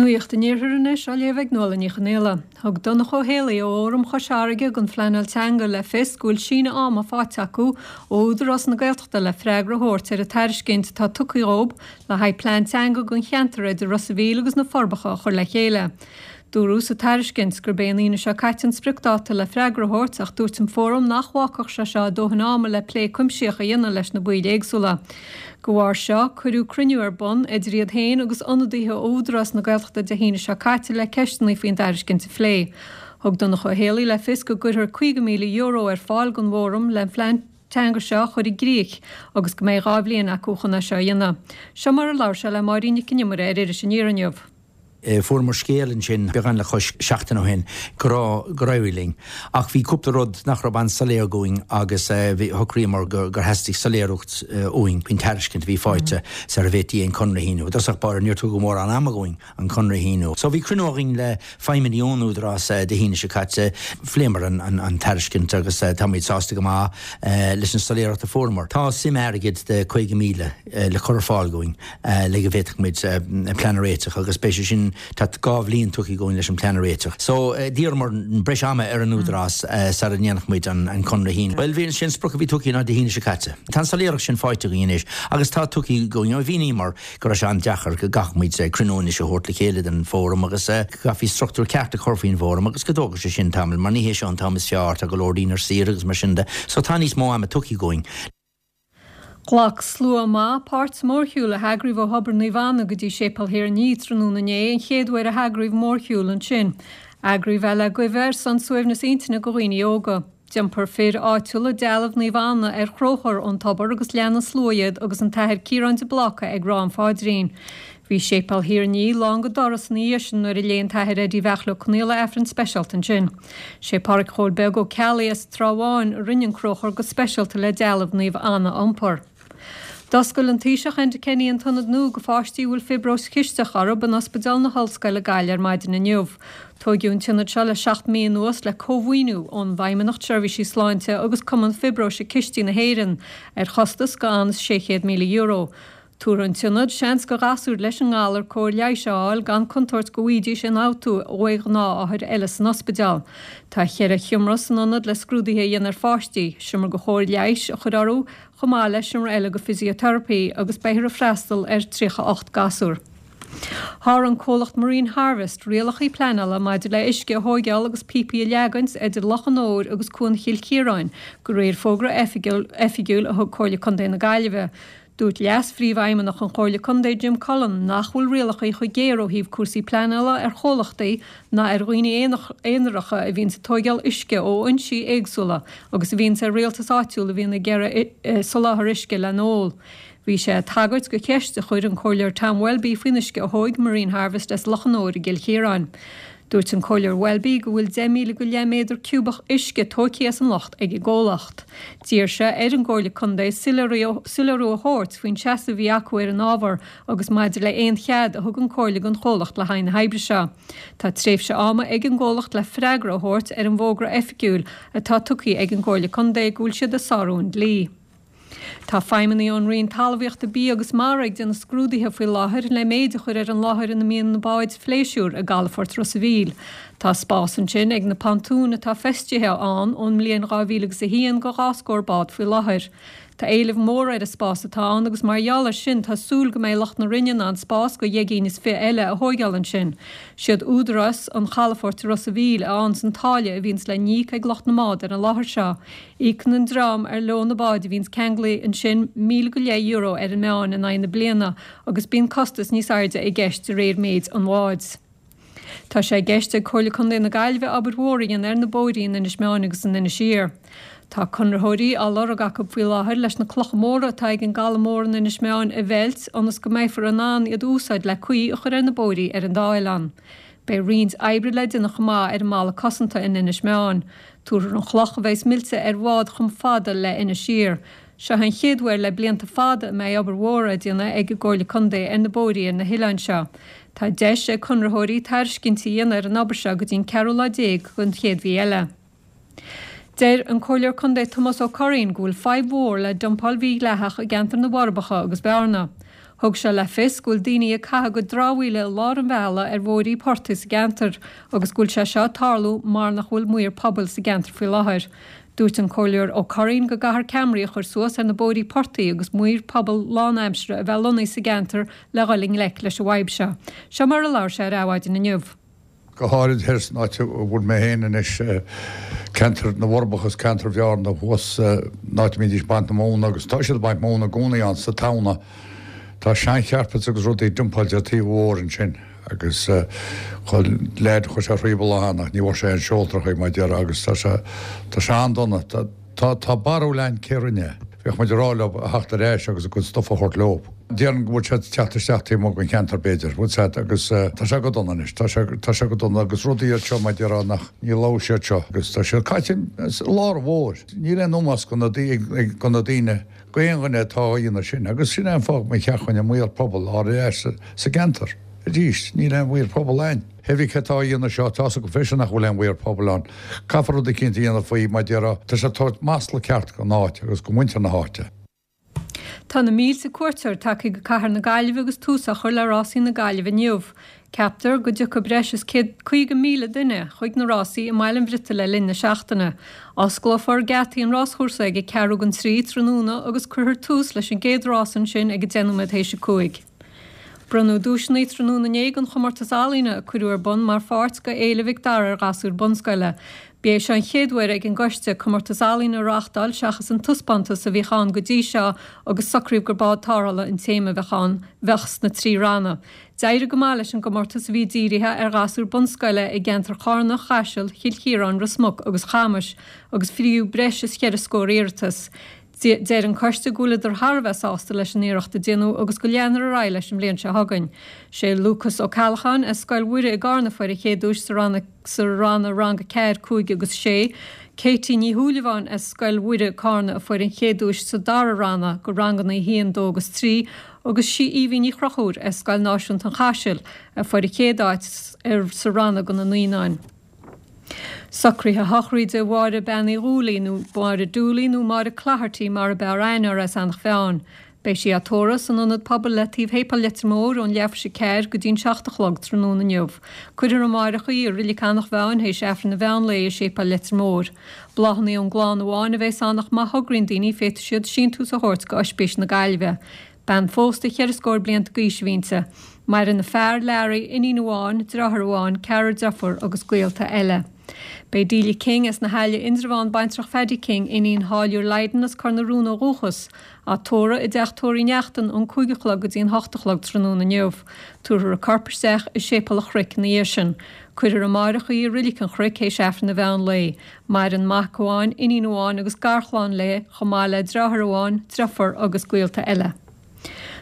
Nuacht an Iarthair anois á léamh ag Nuala Ní Chonaola. Thug Donncha Ó Héalaí ó Fhóram Chois Fharraige don Phleanáil Teanga le fios go bhfuil síneadh ama faighte acu ó Údarás na Gaeltachta le freagra a thabhairt ar an tairiscint atá tugtha dhób le haghaidh plean teanga don cheantar idir Ros a' Mhíl agus na Forbacha a chur le chéile. Dúradh sa tairiscint gurb é an Aoine seo caite an spriocdáta le freagra a thabhairt ach dúirt an Fóram nach bhfágfadh sé seo dóthain ama le plé cuimsitheach a dhéanamh leis na baill éagsúla. De bharr seo, cuireadh cruinniú ar bun idir iad féin agus ionadaithe ó Údarás na Gaeltachta Dé hAoine seo caite le ceisteanna faoin dtairiscint a phlé. Thug Donncha Ó Héalaí le fios go gcuirfear €50,000 ar fáil don bhFóram le an phlean teanga seo a chur i gcrích agus go mbeidh 2 bhliain acu chun é seo a dhéanamh. Seo mar a labhair sé le Máirín Nic an Iomaire ar Iris Aniar inniu. Fuaireamar scéal ansin beagán le cois seachtain ó shin go raibh, gur éirigh linn. Ach bhí cúpla rud nach raibh an-soiléir dhúinn agus shocraíomar gur theastaigh soiléireacht uainn faoin tairiscint a bhí faighte sara bhféadfaí an conradh a shíniú. I dtosach báire níor tugadh mórán ama dhúinn an conradh a shíniú. So bhí cruinniú againn le feidhmeannaigh ón Údarás Dé hAoine seo caite. Phléamar an tairiscint agus táimid sásta go maith leis an soiléireacht a fuaireamar. Tá suim airgid de 50,000 le cur ar fáil dhúinn. le go bhféadfadh muid plean a réiteach agus beidh sé sin, tá 2 bhliain tugtha dhúinn leis an plean a réiteach. So d'iarramar breis ama ar an Údarás sara ndéanfadh muid an conradh a shíniú. Bhuel, bhí, sé an sprioc a bhí tugtha ná Dé hAoine seo caite. Tá an soiléireacht sin faighte againn anois agus tá tugtha dhúinn, mhíníomar go raibh sé an-deacair go gcaithfeadh muid cruinniú anois a thabhairt le chéile den bhfóram agus go gcaithfí struchtúr ceart a chur faoin bhfóram agus go dtógfadh sé sin tamall mar ní hé seo an t-am is fearr, tá go leor daoine ar saoire agus mar sin de. So tá níos mó ama tugtha dhúinn. Ghlac slua maith páirt sa mhórshiúl a heagraíodh ó Thobar Naomh Anna go dtí Séipéal Thír an Fhia tráthnóna inné, an chéad uair a heagraíodh mórshiúl ansin. Eagraíodh é le Guibhe ar son suaimhneas intinne go dhaoine óga. D'iompar fir áitiúla dealbh Naomh Anna ar chróchar ón tobar agus lean an slua iad agus an tAthair Ciarán de Bláca ag rá an pháidrín. Bhí Séipéal Thír an Fhia lán go doras ina dhiaidh sin nuair a léigh an tAthair Eddie Bheachla Ó Conaola Aifreann speisialta ansin. Sé Páraic Chóil Beag Ó Ceallaigh as Trá Bháin a rinne an cróchar go speisialta le dealbh Naomh Anna a iompar. D'oscail an Taoiseach Enda Kenny an t-ionad nua go pháistí a bhfuil fiobróis chisteach orthu in Ospidéal na hOllscoile Gaillimh ar maidin inniu. Tóigeadh an t-ionad seo le 7 mí anuas le cómhaoiniú ón bhFeidhmeannacht Seirbhísí Sláinte agus Cumann Fiobróise Cistí na hÉireann ar chostas go an €600,000. Tabharfaidh an t-ionad seans go ghasúir leis an ngalar cóir leighis a fháil gan contúirt go bhfaighidís ionfhabhtú ó ghnáthothar eile san ospidéal. Tá cheithre sheomra san ionad le scrúduithe a dhéanamh ar pháistí, seomra go chóir leighis a chur orthu chomh maith le seomra eile go physiotherapy agus beifear ag freastal ar 38 gasúr. Sháraigh an comhlacht Marine Harvest rialacha pleanála maidir le uisce a thóigeáil agus píopaí a leagaint idir Loch an Iúir agus Cuan Chill Chiaráin, de réir fógra oifigiúil a thug Comhairle Contae na Gaillimhe. Dúirt Leas-Phríomhfheidhmeannach an Chomhairle Contae Jim Cullen nach bhfuil rialacha chomh géar ó thaobh cúrsaí pleanála ar chomhlachtaí ná ar dhaoine aonaracha a bhíonns ag tóigeáil uisce ó fhoinsí éagsúla agus a bhíonns ar rialtas áitiúil a bhíonn ag iarraidh soláthar uisce le n-ól. Bhí sé ag tagairt go cheist a chuir an Comhairleoir Tom Welby faoin uisce a thóig Marine Harvest as Loch an Iúir i gCill Chiaráin. Dúirt an Comhairleoir Welby go bhfuil 10,000 go leith méadar ciúbach uisce tóigthe as an loch ag an gcomhlacht. D'iarr sé ar an gComhairle Contae soiléiriú a thabhairt faoin seasamh a bhí acu ar an ábhar agus maidir le aon chead a thug an Chomhairle don chomhlacht le haghaidh na hoibre seo. Tá tréimhse ama ag an gcomhlacht le freagra a thabhairt ar an bhfógra oifigiúil atá tugtha ag an gComhairle Contae go bhfuil siad ag sárú an dlí. Tá feidhmeannaigh ón Roinn Talmhaíochta, Bia agus Mara ag déanamh scrúduithe faoi láthair le méid a chur ar an láthair ina mbíonn na báid phléisiúir i gcalafort Ros a' Mhíl. Tá spás ansin ag na pontúin atá feistithe ann ón mbliain 2000 agus 1 go 2 scór bád faoi láthair. Tá éileamh mór ar an spás atá ann agus mar gheall ar sin tá súil go mbeidh lucht na Roinne in ann spás go dheich gcinn is fi eile a thóigeáil ansin. Siad údarás an chalafoirt i Ros a' Mhíl a fhaigheanns an táille a bhíonns le n-íoc ag lucht na mbád ar an láthair seo. Íocann an dream ar leo na báid a bhíonns ceanglaithe ansin €1,000 ar an meán in aghaidh na bliana agus bíonn costas níos airde i gceist de réir méid an bháid. Tá sé i gceist ag Comhairle Contae na Gaillimhe obair mhór a dhéanamh ar na bóithrí in Inis Meáin agus in Inis Oírr. Tá conraitheoirí á lorg acu faoi láthair leis na clocha móra atá ag an gcaladh mór in Inis Meáin a mheilt ionas go mbeifear in ann iad a úsáid le caoi a chur ar na bóithrí ar an dá oileán. Beidh roinnt oibre le déanamh chomh maith ar an mballa cosanta in Inis Meáin. Tabharfar an chloch a bheas millte ar bhád chomh fada le Inis Oírr. Seo an chéad uair le blianta fada a mbeidh obair mhór á déanamh ag an gComhairle Contae ar na bóithrí ar na hoileáin seo. Tá deis ag conraitheoirí tairiscintí a dhéanamh ar an obair seo go dtí an ceathrú lá den chéad mhí eile. Deir an Comhairleoir Contae Tomás Ó Curraoin go bhfuil fadhb mhór le dumpáil mhídhleathach i gceantar na bhForbacha agus Bearna. Thug sé le fios go bhfuil daoine ag caitheamh a gcuid dramhaíola i lár an bhealaigh ar bhóithrí portaigh sa gceantar agus go bhfuil sé seo ag tarlú mar nach bhfuil maor pobail sa gceantar faoi láthair. Dúirt an Comhairleoir Ó Curraoin go gcaithfear ceamaraí a chur suas ar na bóithrí portaigh agus maor pobail lánaimseartha a bheith lonnaithe sa gceantar le dhul i ngleic leis an bhfadhb seo. Seo mar a labhair sé ar Adhmhaidin inniu. Go háirid thoir san áit a bhfuil mé féin anois, ceantar na bhForbacha agus ceantar Bhearna thuas, an áit a mbídís ag baint na móna agus tá siad ag baint móna i gcónaí ann sa Tamhna. Tá sean-charpets agus rudaí dumpáilte ar taobh an bhóthair ansin agus chuir leaid, chuir sé phríomh lá ann ach ní bhfuair sé aon seoltóir mar a déarfá agus tá sé, tá sé an-dona. Tá, tá barúil a'inn cé rinne é. Bheadh muid ag rá leo a theacht ar ais agus a gcuid stuff a thabhairt leo. Déarfainn go bhfuil siad ag teacht isteach taobh amuigh den cheantar b'fhéidir, bhfuil 's a'd, agus tá sé go dona anois, tá sé, tá sé go dona agus rudaí iad seo mar a déarfá nach, ní labhróidh siad seo agus tá siad caite i lár an bhóthair. Níl aon ómós go na, go na daoine, go aon dhuine atá á dhéanamh sin agus sin é an fáth go mba cheart dhúinn an maor pobail a fháil ar ais sa gceantar arís. Níl aon mhaor pobail a'inn. Pé bith cé atá á dhéanamh seo, tá's acu freisin nach bhfuil aon mhaor pobail ann. Caithfear rud eicínt a dhéanamh faoi, mar a déarfá, tá sé ag tabhairt masla ceart don áit agus go muintir na háite. Tá na mílte cuairteoir tagtha go cathair na Gaillimhe agus tús á chur le Rásaí na Gaillimhe inniu. Ceaptar go dtiocfaidh breis is 150,000 duine chuig na rásaí i mBaile an Bhriotaigh le linn na seachtaine. Osclófar geataí an ráschúrsa ag ceathrú don trí tráthnóna agus cuirfear tús leis an gcéad rás ansin ag 10 nóiméad théis a 5. Bronnadh duaiseanna tráthnóna inné don chomórtas ealaíne a cuireadh ar bun mar pháirt de Fhéile Mhic Dara ar ghasúir bunscoile. B'é seo an chéad uair ag an gcoiste comórtas ealaíne a reáchtáil seachas an taispeántas a bhíodh ann go dtí seo agus socraíodh gur bád tarrthála an téama a bheadh ann bheadh sna trí ranna. D'éirigh go maith leis an gcomórtas a bhí dírithe ar ghasúir bunscoile i gceantar Chárna, Chaisil, Chill Chiaráin, Ros Muc agus Chamais agus fríodh breis is cheithre scór iarratas. Deir an coiste go bhfuileadar thar a bheith sásta leis an iarracht a déanadh agus go leanfar ar aghaidh leis an bhliain seo chugainn. Sé Lúcas Ó Ceallacháin as Scoil Mhuire i gCarna a fuair an chéad duais sa ranna sa ranna Rang 4, 5 agus 6. Katie Ní Shúilleabháin as Scoil Mhuire, Cárna a fuair an chéad duais sa dara ranna go ranganna 1, 2 agus 3 agus sí Aoibhinn Ní Chonchúir as Scoil Náisiúnta an Chaisil a fuair an chéad áit sa ranna go na naíonáin. Socruithe sochraide Mháire Bean Uí Dhúlaí, nó Máire Dooley nó Máire Clogherty mar a b'fhearr aithne uirthi as Eanach Mheáin. Beidh sí á tórramh san Ionad Pobail le taobh Shéipéal Leitir Móir ón leathuair théis a ceathair go dtí an 7 a chlog tráthnóna inniu. Cuirfear amáireach í i Roilic Eanach Mheáin théis Aifreann an mheán lae i Séipéal Leitir Móir. Bláthanna ón gclann amháin a bheas ann ach má thograíonn daoine féadfaidh siad síntiús a thabhairt go Oispís na Gaillimhe. Bean phósta cheithre scór blianta d'aois a bhí inti. Maireann a fear, Larry, iníon amháin, deartháir amháin, ceathrar deirfiúr agus gaolta eile. Beidh Delia King as na hAille, Indreabhán, baintreach Phaddy King, iníon Tháilliúir Lydon as Cor na Rún ó dhúchas, á tórramh i dteach tórraimh Uí Neachtain ón 5 a chlog go dtí an 8 a chlog tráthnóna inniu. Tabharfar a corp isteach i Séipéal an Chnoic ina dhiaidh sin. Cuirfear amáireach í i Roilic an Chnoic théis Aifreann an mheán lae. Maireann mac amháin, iníon amháin agus garchlann léi, chomh maith le deartháir amháin, deirfiúr agus gaolta eile.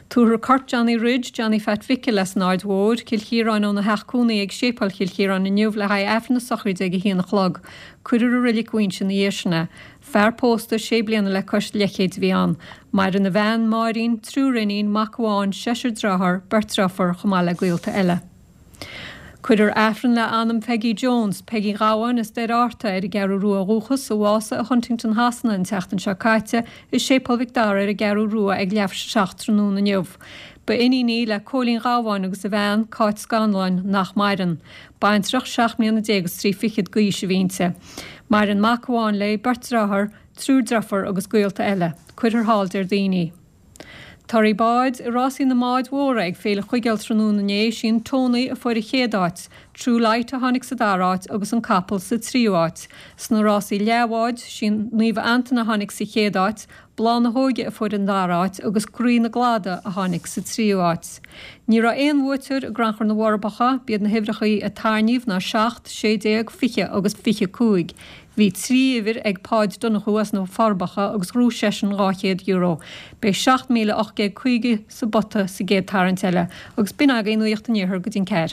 Tabharfar corp Johnny Ridge, Johnny Phat Mhicil, as an Aird Mhóir, Cill Chiaráin óna theach cónaí ag Séipéal Chill Chiaráin inniu le haghaidh Aifreann na sochraide ag a haon a chlog. Cuirfear i Roilic Mhuighinse ina dhiaidh sin é. Fear pósta, sé bliana le cois leathchéid a bhí ann. Maireann a bhean, Máirín, triúr iníon, mac amháin, seisear dearthár, beirt deirfiúr, chomh maith le gaolta eile. Cuirfear Aifreann le anam Pheigí Jones, Peigí Ghabháin as Doire Fhearta ar an gCeathrú Rua ó dhúchas, a bhásaigh i Huntingdon Shasana an tseachtain seo caite, i Séipéal Mhic Dara ar an gCeathrú Rua ag leathuair théis a 7 tráthnóna inniu. Ba iníon í le Cóilín Ghabháin agus a bhean, Cáit Scanláin, nach maireann. Baintreach 17 mbliana is trí fichead d'aois a bhí inti. Maireann mac amháin léi, beirt dearthár, triúr deirfiúr agus gaolta eile. Cuirfear thall Déardaoin í. Toradh báid i rásaí na mbád mhóra ag Féile Chuigéil tráthnóna inné, sí an Tony a fuair an chéad áit, True Light a tháinig sa dara áit agus an Capall sa tríú áit. Sna rásaí leathbháid, sí Naomh Antaine a tháinig sa chéad áit, Bláth na hÓige a fuair an dara áit agus Croí na gCladach a tháinig sa tríú áit. Ní raibh aon bhuaiteoir i gCrannchur na bhForbacha, b'iad na huimhreachaí a tarraingíodh ná 7, 16, 20 agus 25. Bhí 3 uimhir ag Páid Donnchú as na Forbacha agus ghnóthaigh seisean €200. Beidh 7,850 sa bpota sa gcéad tarraingt eile. Agus b'in agaibh Nuacht an Iarthair go dtí an ceathair.